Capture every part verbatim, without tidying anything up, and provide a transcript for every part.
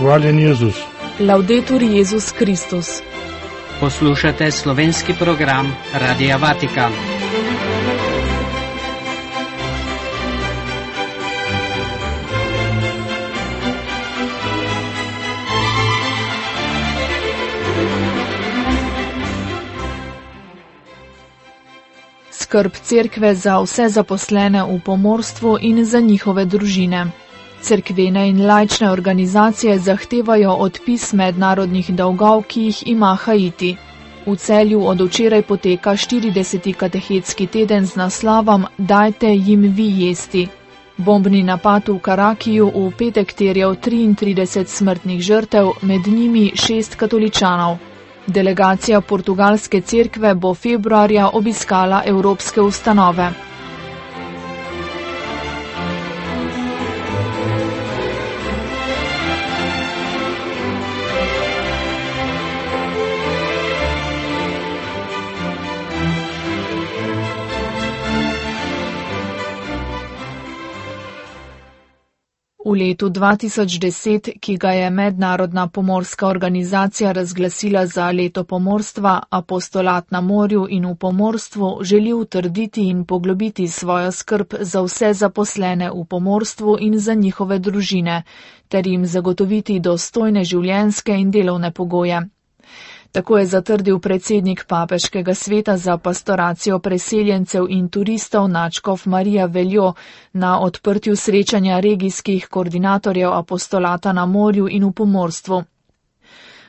Hvaljen Jezus. Laudetur Jezus Kristus. Poslušate slovenski program Radia Vatikan. Skrb cerkve za vse zaposlene v pomorstvu in za njihove družine. Cerkvene in laične organizacije zahtevajo odpis mednarodnih dolgov, ki jih ima Haiti. V Celju od včeraj poteka štirideseti katehetski teden z naslovom Dajte jim vi jesti. Bombni napad v Karakiju v petek terjal triintrideset smrtnih žrtev, med njimi šest katoličanov. Delegacija portugalske cerkve bo februarja obiskala evropske ustanove. V letu dva tisoč deset, ki ga je Mednarodna pomorska organizacija razglasila za leto pomorstva, apostolat na morju in v pomorstvu želi utrditi in poglobiti svojo skrb za vse zaposlene v pomorstvu in za njihove družine, ter jim zagotoviti dostojne življenjske in delovne pogoje. Tako je zatrdil predsednik Papeškega sveta za pastoracijo preseljencev in turistov nadškof Marija Veljo na odprtju srečanja regijskih koordinatorjev apostolata na morju in v pomorstvu.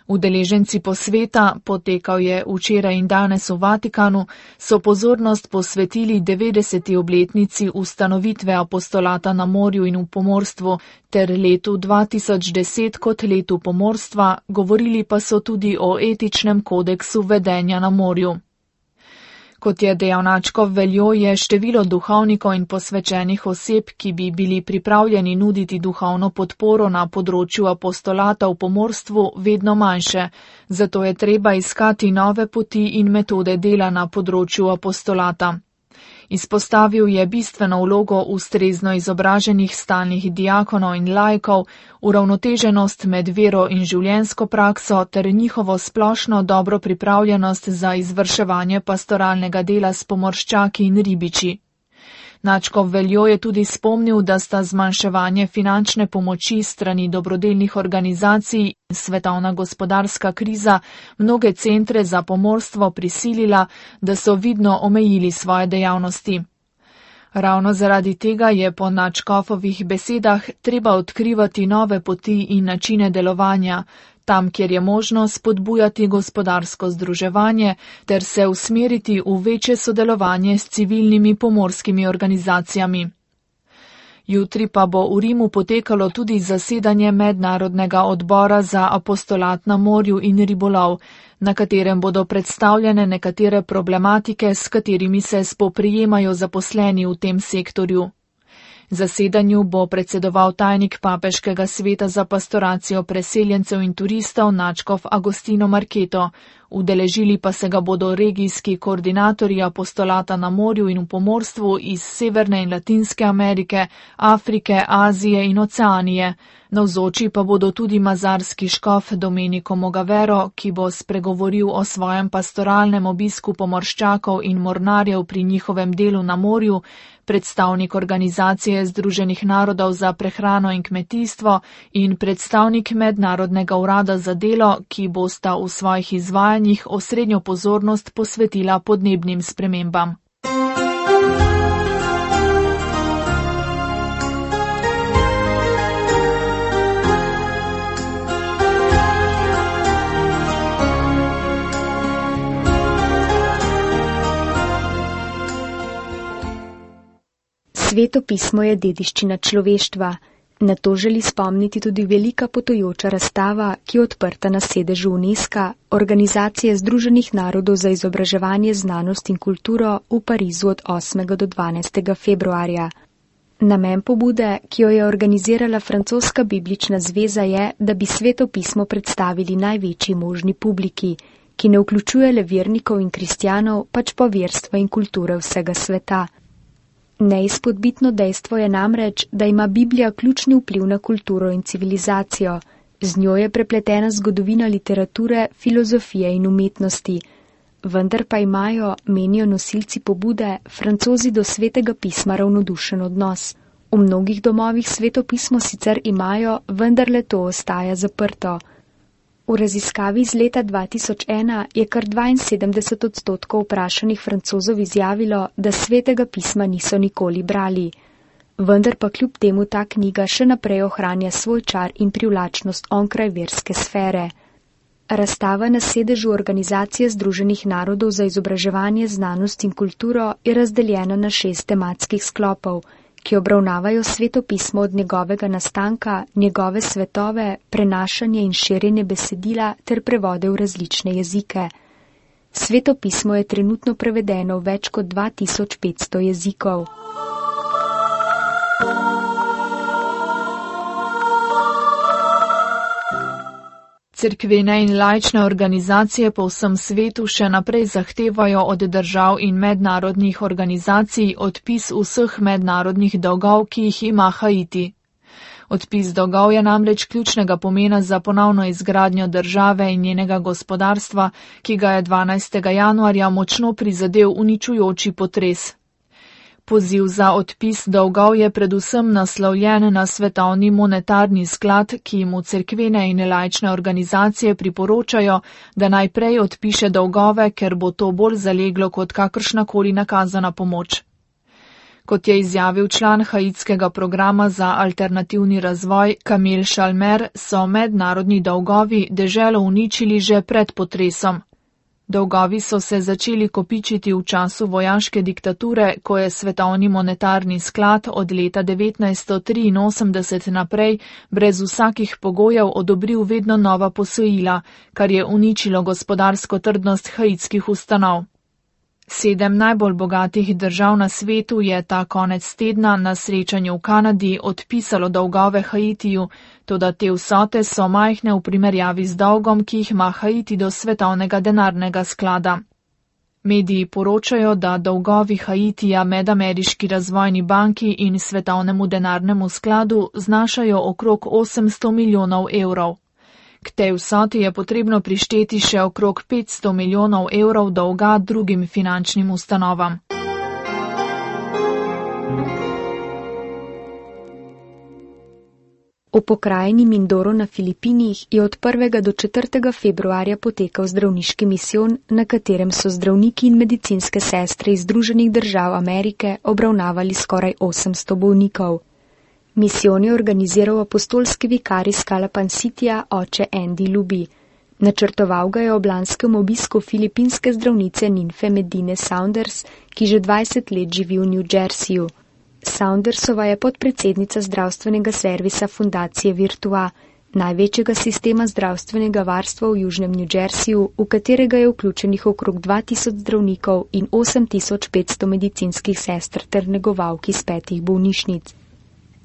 Udeleženci posveta, potekal je včeraj in danes v Vatikanu, so pozornost posvetili devetdeseti obletnici ustanovitve apostolata na morju in v pomorstvu ter letu dva tisoč deset kot letu pomorstva, govorili pa so tudi o etičnem kodeksu vedenja na morju. Kot je dejal nadškof Veljo, je število duhovnikov in posvečenih oseb, ki bi bili pripravljeni nuditi duhovno podporo na področju apostolata v pomorstvu, vedno manjše, zato je treba iskati nove poti in metode dela na področju apostolata. Izpostavil je bistveno vlogo ustrezno izobraženih stalnih diakonov in laikov, uravnoteženost med vero in življenjsko prakso ter njihovo splošno dobro pripravljenost za izvrševanje pastoralnega dela s pomorščaki in ribiči. Nadškof Veljo je tudi spomnil, da sta zmanjševanje finančne pomoči strani dobrodelnih organizacij in svetovna gospodarska kriza mnoge centre za pomorstvo prisilila, da so vidno omejili svoje dejavnosti. Ravno zaradi tega je po nadškofovih besedah treba odkrivati nove poti in načine delovanja, tam, kjer je možno spodbujati gospodarsko združevanje ter se usmeriti v večje sodelovanje s civilnimi pomorskimi organizacijami. Jutri pa bo v Rimu potekalo tudi zasedanje Mednarodnega odbora za apostolat na morju in ribolov, na katerem bodo predstavljene nekatere problematike, s katerimi se spoprijemajo zaposleni v tem sektorju. Zasedanju bo predsedoval tajnik Papeškega sveta za pastoracijo preseljencev in turistov nadškof Agostino Marketo, udeležili pa se ga bodo regijski koordinatorji apostolata na morju in v pomorstvu iz Severne in Latinske Amerike, Afrike, Azije in Oceanije. Navzoči pa bodo tudi mazarski škof Domenico Mogavero, ki bo spregovoril o svojem pastoralnem obisku pomorščakov in mornarjev pri njihovem delu na morju, predstavnik Organizacije Združenih narodov za prehrano in kmetijstvo in predstavnik Mednarodnega urada za delo, ki bosta v svojih izvajanjih osrednjo pozornost posvetila podnebnim spremembam. Sveto pismo je dediščina človeštva. Na to želi spomniti tudi velika potujoča razstava, ki je odprta na sedežu UNESCO, Organizacije Združenih narodov za izobraževanje, znanost in kulturo v Parizu od osmega do dvanajstega februarja. Namen pobude, ki jo je organizirala Francoska biblična zveza, je, da bi sveto pismo predstavili največji možni publiki, ki ne vključuje le vernikov in kristjanov, pač pa verstva in kulture vsega sveta. Neizpodbitno dejstvo je namreč, da ima Biblija ključni vpliv na kulturo in civilizacijo. Z njo je prepletena zgodovina literature, filozofije in umetnosti, vendar pa imajo, menijo nosilci pobude, Francozi do svetega pisma ravnodušen odnos. V mnogih domovih sveto pismo sicer imajo, vendar le to ostaja zaprto. V raziskavi iz leta dva tisoč ena je kar dvainsedemdeset odstotkov vprašanih Francozov izjavilo, da svetega pisma niso nikoli brali. Vendar pa kljub temu ta knjiga še naprej ohranja svoj čar in privlačnost onkraj verske sfere. Razstava na sedežu Organizacije Združenih narodov za izobraževanje, znanost in kulturo je razdeljena na šest tematskih sklopov, ki obravnavajo sveto pismo od njegovega nastanka, njegove svetove, prenašanje in širjenje besedila ter prevode v različne jezike. Sveto pismo je trenutno prevedeno v več kot dva tisoč petsto jezikov. Cerkvene in laične organizacije po vsem svetu še naprej zahtevajo od držav in mednarodnih organizacij odpis vseh mednarodnih dolgov, ki jih ima Haiti. Odpis dolgov je namreč ključnega pomena za ponovno izgradnjo države in njenega gospodarstva, ki ga je dvanajstega januarja močno prizadel uničujoči potres. Poziv za odpis dolgov je predvsem naslovljen na Svetovni monetarni sklad, ki mu cerkvene in laične organizacije priporočajo, da najprej odpiše dolgove, ker bo to bolj zaleglo kot kakršnakoli nakazana pomoč. Kot je izjavil član haitskega programa za alternativni razvoj Camille Chalmer, so mednarodni dolgovi deželo uničili že pred potresom. Dolgovi so se začeli kopičiti v času vojaške diktature, ko je Svetovni monetarni sklad od leta devetnajststo triinosemdeset naprej brez vsakih pogojev odobril vedno nova posojila, kar je uničilo gospodarsko trdnost haitskih ustanov. Sedem najbolj bogatih držav na svetu je ta konec tedna na srečanju v Kanadi odpisalo dolgove Haitiju, toda te vsote so majhne v primerjavi z dolgom, ki jih ima Haiti do Svetovnega denarnega sklada. Mediji poročajo, da dolgovi Haitija Medameriški razvojni banki in Svetovnemu denarnemu skladu znašajo okrog osemsto milijonov evrov. K tej vsoti je potrebno prišteti še okrog petsto milijonov evrov dolga drugim finančnim ustanovam. V pokrajini Mindoro na Filipinih je od prvega do četrtega februarja potekal zdravniški misijon, na katerem so zdravniki in medicinske sestre iz Združenih držav Amerike obravnavali skoraj osemsto bolnikov. Misijon je organiziral apostolski vikar iz Calapan Cityja, oče Andy Luby. Načrtoval ga je ob lanskem obisku filipinske zdravnice Ninfe Medine Saunders, ki že dvajset let živi v New Jerseyju. Saundersova je podpredsednica zdravstvenega servisa fundacije Virtua, največjega sistema zdravstvenega varstva v južnem New Jerseyju, v katerega je vključenih okrog dva tisoč zdravnikov in osem tisoč petsto medicinskih sester ter negovalk iz petih bolnišnic.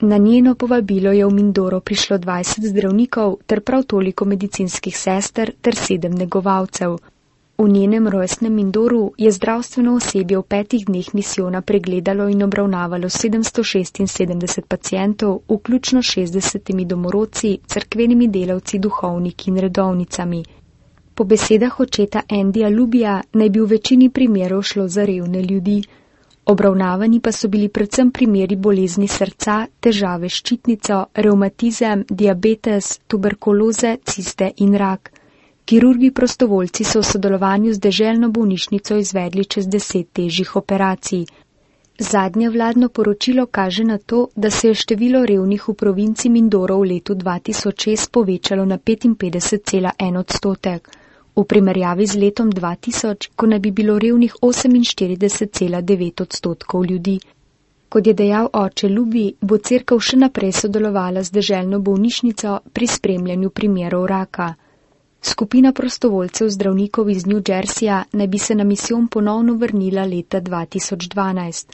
Na njeno povabilo je v Mindoro prišlo dvajset zdravnikov ter prav toliko medicinskih sester ter sedem negovalcev. V njenem rojstnem Mindoru je zdravstveno osebje v petih dneh misijona pregledalo in obravnavalo sedemsto šestinsedemdeset pacientov, vključno šestdesetimi domorodci, cerkvenimi delavci, duhovniki in redovnicami. Po besedah očeta Andyja Lubyja naj bi v večini primerov šlo za revne ljudi. Obravnavani pa so bili predvsem primeri bolezni srca, težave s ščitnico, revmatizem, diabetes, tuberkuloze, ciste in rak. Kirurgi prostovoljci so v sodelovanju z deželno bolnišnico izvedli čez deset težjih operacij. Zadnje vladno poročilo kaže na to, da se je število revnih v provinci Mindoro v letu dva tisoč šest povečalo na petinpetdeset cela en odstotek. V primerjavi z letom dva tisoč, ko naj bi bilo revnih oseminštirideset cela devet odstotkov ljudi. Kot je dejal oče Luby, bo cerkev še naprej sodelovala z deželno bolnišnico pri spremljanju primerov raka. Skupina prostovoljcev zdravnikov iz New Jerseyja naj bi se na misijon ponovno vrnila leta dva tisoč dvanajst.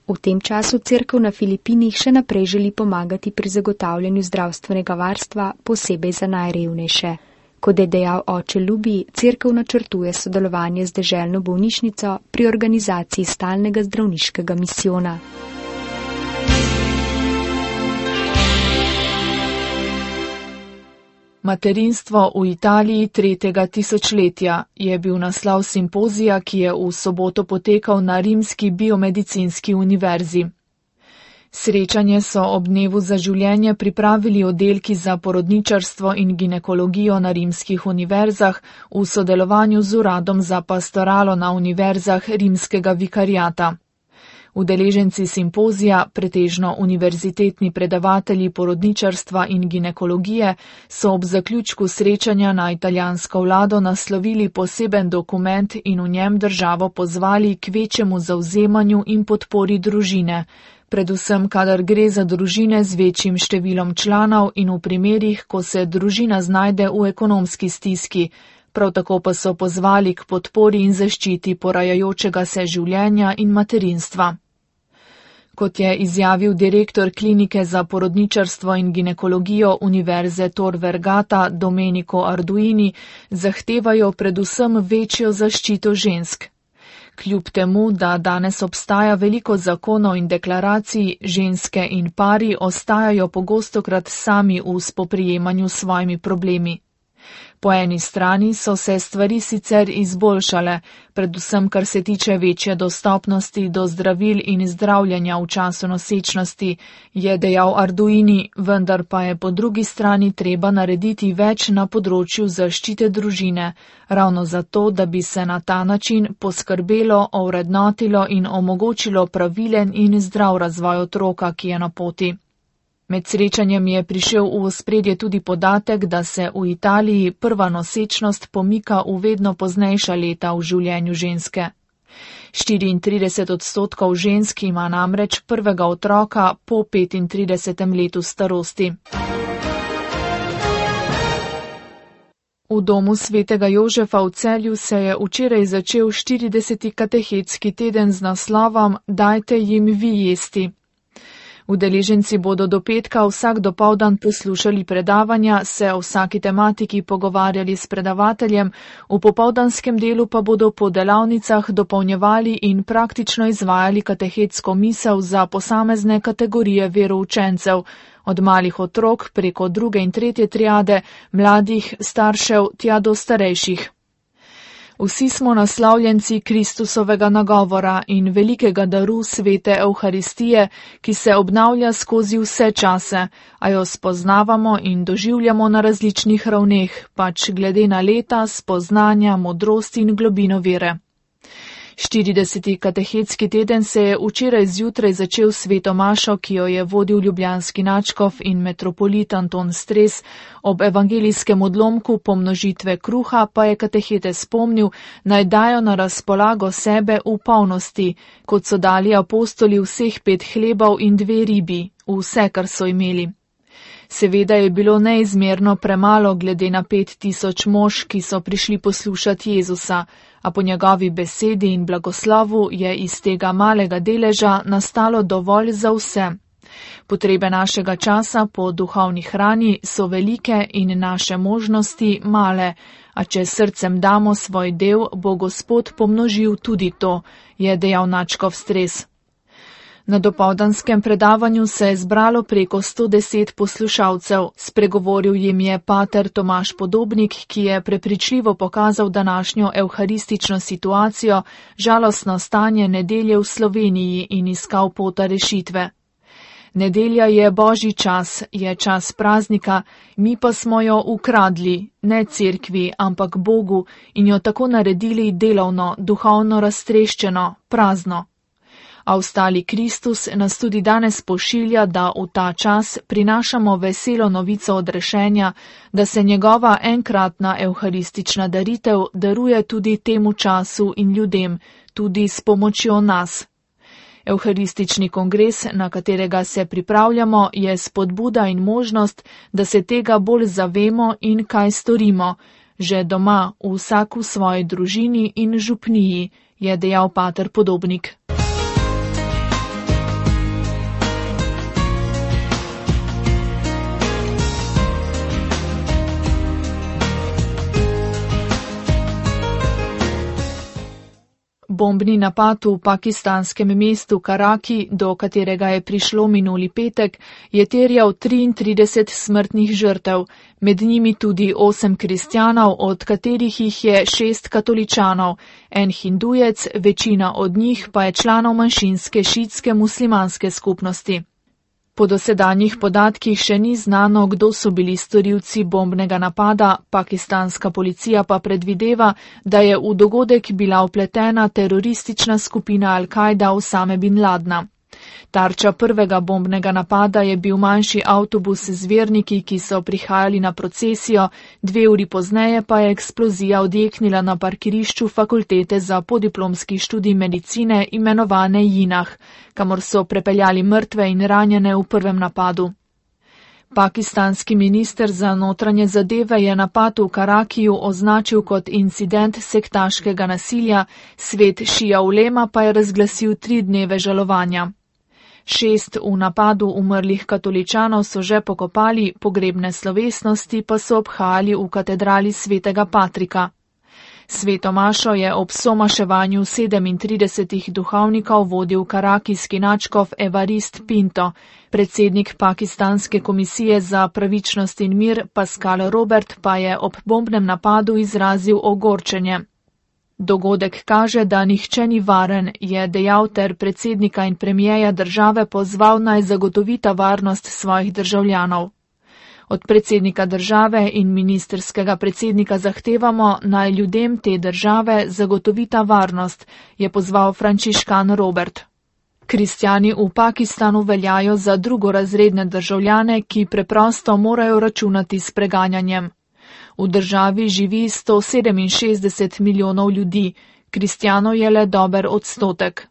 V tem času cerkev na Filipinih še naprej želi pomagati pri zagotavljanju zdravstvenega varstva, posebej za najrevnejše. Kot je dejal oče Luby, cerkev načrtuje sodelovanje z deželno bolnišnico pri organizaciji stalnega zdravniškega misijona. Materinstvo v Italiji tretjega tisočletja je bil naslov simpozija, ki je v soboto potekal na Rimski biomedicinski univerzi. Srečanje so ob dnevu za življenje pripravili oddelki za porodničarstvo in ginekologijo na rimskih univerzah v sodelovanju z Uradom za pastoralo na univerzah rimskega vikariata. Udeleženci simpozija, pretežno univerzitetni predavatelji porodničarstva in ginekologije, so ob zaključku srečanja na italijansko vlado naslovili poseben dokument in v njem državo pozvali k večjemu zavzemanju in podpori družine, predvsem kadar gre za družine z večjim številom članov in v primerih, ko se družina znajde v ekonomski stiski. Prav tako pa so pozvali k podpori in zaščiti porajajočega se življenja in materinstva. Kot je izjavil direktor klinike za porodničarstvo in ginekologijo Univerze Tor Vergata Domenico Arduini, zahtevajo predvsem večjo zaščito žensk. Kljub temu, da danes obstaja veliko zakonov in deklaracij, ženske in pari ostajajo pogostokrat sami v spoprijemanju s svojimi problemi. Po eni strani so se stvari sicer izboljšale, predvsem kar se tiče večje dostopnosti do zdravil in zdravljenja v času nosečnosti, je dejal Arduini, vendar pa je po drugi strani treba narediti več na področju zaščite družine, ravno zato, da bi se na ta način poskrbelo, ovrednotilo in omogočilo pravilen in zdrav razvoj otroka, ki je na poti. Med srečanjem je prišel v ospredje tudi podatek, da se v Italiji prva nosečnost pomika v vedno poznejša leta v življenju ženske. štiriintrideset odstotkov žensk ima namreč prvega otroka po petintridesetem letu starosti. V domu svetega Jožefa v Celju se je včeraj začel štirideseti katehetski teden z naslovom Dajte jim vi jesti. Udeleženci bodo do petka vsak dopoldan poslušali predavanja, se o vsaki tematiki pogovarjali s predavateljem, v popoldanskem delu pa bodo po delavnicah dopolnjevali in praktično izvajali katehetsko misel za posamezne kategorije veroučencev, od malih otrok preko druge in tretje triade, mladih, staršev, tja do starejših. Vsi smo naslavljenci Kristusovega nagovora in velikega daru svete Evharistije, ki se obnavlja skozi vse čase, a jo spoznavamo in doživljamo na različnih ravneh, pač glede na leta, spoznanja, modrost in globino vere. štirideseti katehetski teden se je včeraj zjutraj začel s sveto mašo, ki jo je vodil ljubljanski nadškof in metropolit Anton Stres. Ob evangelijskem odlomku pomnožitve kruha pa je katehete spomnil, naj dajo na razpolago sebe v polnosti, kot so dali apostoli vseh pet hlebov in dve ribi, vse, kar so imeli. Seveda je bilo neizmerno premalo glede na pet tisoč mož, ki so prišli poslušati Jezusa, a po njegovi besedi in blagoslovu je iz tega malega deleža nastalo dovolj za vse. Potrebe našega časa po duhovni hrani so velike in naše možnosti male, a če srcem damo svoj del, bo Gospod pomnožil tudi to, je dejal nadškof Stres. Na dopoldanskem predavanju se je zbralo preko sto deset poslušalcev. Spregovoril jim je pater Tomaž Podobnik, ki je prepričljivo pokazal današnjo evharistično situacijo, žalostno stanje nedelje v Sloveniji in iskal pota rešitve. Nedelja je božji čas, je čas praznika, mi pa smo jo ukradli, ne cerkvi, ampak Bogu, in jo tako naredili delovno, duhovno raztreščeno, prazno. A ostali Kristus nas tudi danes pošilja, da v ta čas prinašamo veselo novico odrešenja, da se njegova enkratna evharistična daritev daruje tudi temu času in ljudem, tudi s pomočjo nas. Evharistični kongres, na katerega se pripravljamo, je spodbuda in možnost, da se tega bolj zavemo in kaj storimo, že doma, vsak v svoji družini in župniji, je dejal pater Podobnik. Bombni napad v pakistanskem mestu Karaki, do katerega je prišlo minuli petek, je terjal triintrideset smrtnih žrtev, med njimi tudi osem kristjanov, od katerih jih je šest katoličanov, en hindujec, večina od njih pa je članov manjšinske šiitske muslimanske skupnosti. Po dosedanjih podatkih še ni znano, kdo so bili storilci bombnega napada, pakistanska policija pa predvideva, da je v dogodek bila vpletena teroristična skupina Al-Kaida Osame bin Ladna. Tarča prvega bombnega napada je bil manjši avtobus z verniki, ki so prihajali na procesijo, dve uri pozneje pa je eksplozija odjeknila na parkirišču fakultete za podiplomski študij medicine imenovane Jinah, kamor so prepeljali mrtve in ranjene v prvem napadu. Pakistanski minister za notranje zadeve je napad v Karakiju označil kot incident sektaškega nasilja, svet šija ulema pa je razglasil tri dneve žalovanja. Šest v napadu umrlih katoličanov so že pokopali, pogrebne slovesnosti pa so obhajali v katedrali svetega Patrika. Sveto mašo je ob somaševanju sedemintridesetih duhovnikov vodil karakijski nadškof Evarist Pinto, predsednik pakistanske komisije za pravičnost in mir Pascal Robert pa je ob bombnem napadu izrazil ogorčenje. Dogodek kaže, da nihče ni varen, je dejal ter predsednika in premijeja države pozval naj zagotovita varnost svojih državljanov. Od predsednika države in ministerskega predsednika zahtevamo, naj ljudem te države zagotovita varnost, je pozval frančiškan Robert. Kristjani v Pakistanu veljajo za drugorazredne državljane, ki preprosto morajo računati s preganjanjem. V državi živi sto sedeminšestdeset milijonov ljudi, kristjanov je le dober odstotek.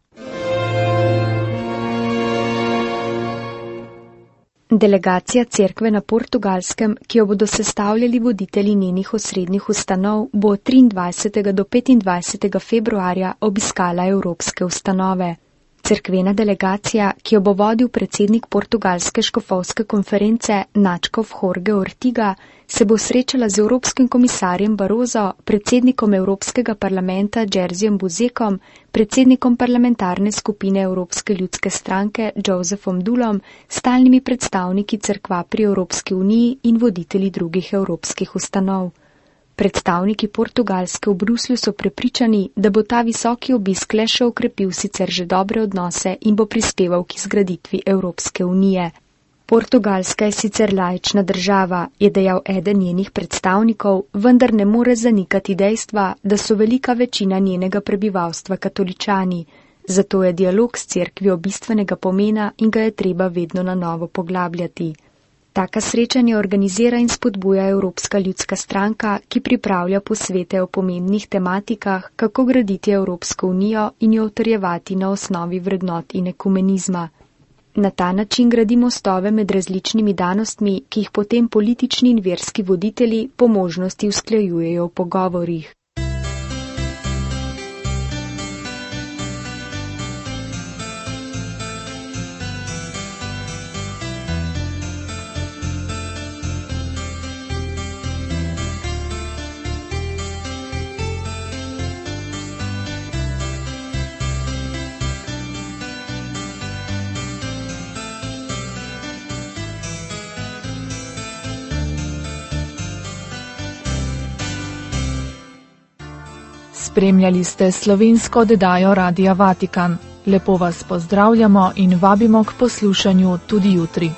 Delegacija cerkve na Portugalskem, ki jo bodo sestavljali voditelji njenih osrednjih ustanov, bo od triindvajsetega do petindvajsetega februarja obiskala evropske ustanove. Cerkvena delegacija, ki jo bo vodil predsednik portugalske škofovske konference nadškof Jorge Ortiga, se bo srečala z evropskim komisarjem Barroso, predsednikom Evropskega parlamenta Jerzym Buzekom, predsednikom parlamentarne skupine Evropske ljudske stranke Josephom Dulom, stalnimi predstavniki cerkva pri Evropski uniji in voditelji drugih evropskih ustanov. Predstavniki Portugalske v Bruslju so prepričani, da bo ta visoki obisk le še okrepil sicer že dobre odnose in bo prispeval k izgraditvi Evropske unije. Portugalska je sicer laična država, je dejal eden njenih predstavnikov, vendar ne more zanikati dejstva, da so velika večina njenega prebivalstva katoličani. Zato je dialog s cerkvijo bistvenega pomena in ga je treba vedno na novo poglabljati. Taka srečanja organizira in spodbuja Evropska ljudska stranka, ki pripravlja posvete o pomembnih tematikah, kako graditi Evropsko unijo in jo utrjevati na osnovi vrednot in ekumenizma. Na ta način gradi mostove med različnimi danostmi, ki jih potem politični in verski voditelji po možnosti usklajujejo v pogovorih. Spremljali ste slovensko oddajo Radia Vatikan. Lepo vas pozdravljamo in vabimo k poslušanju tudi jutri.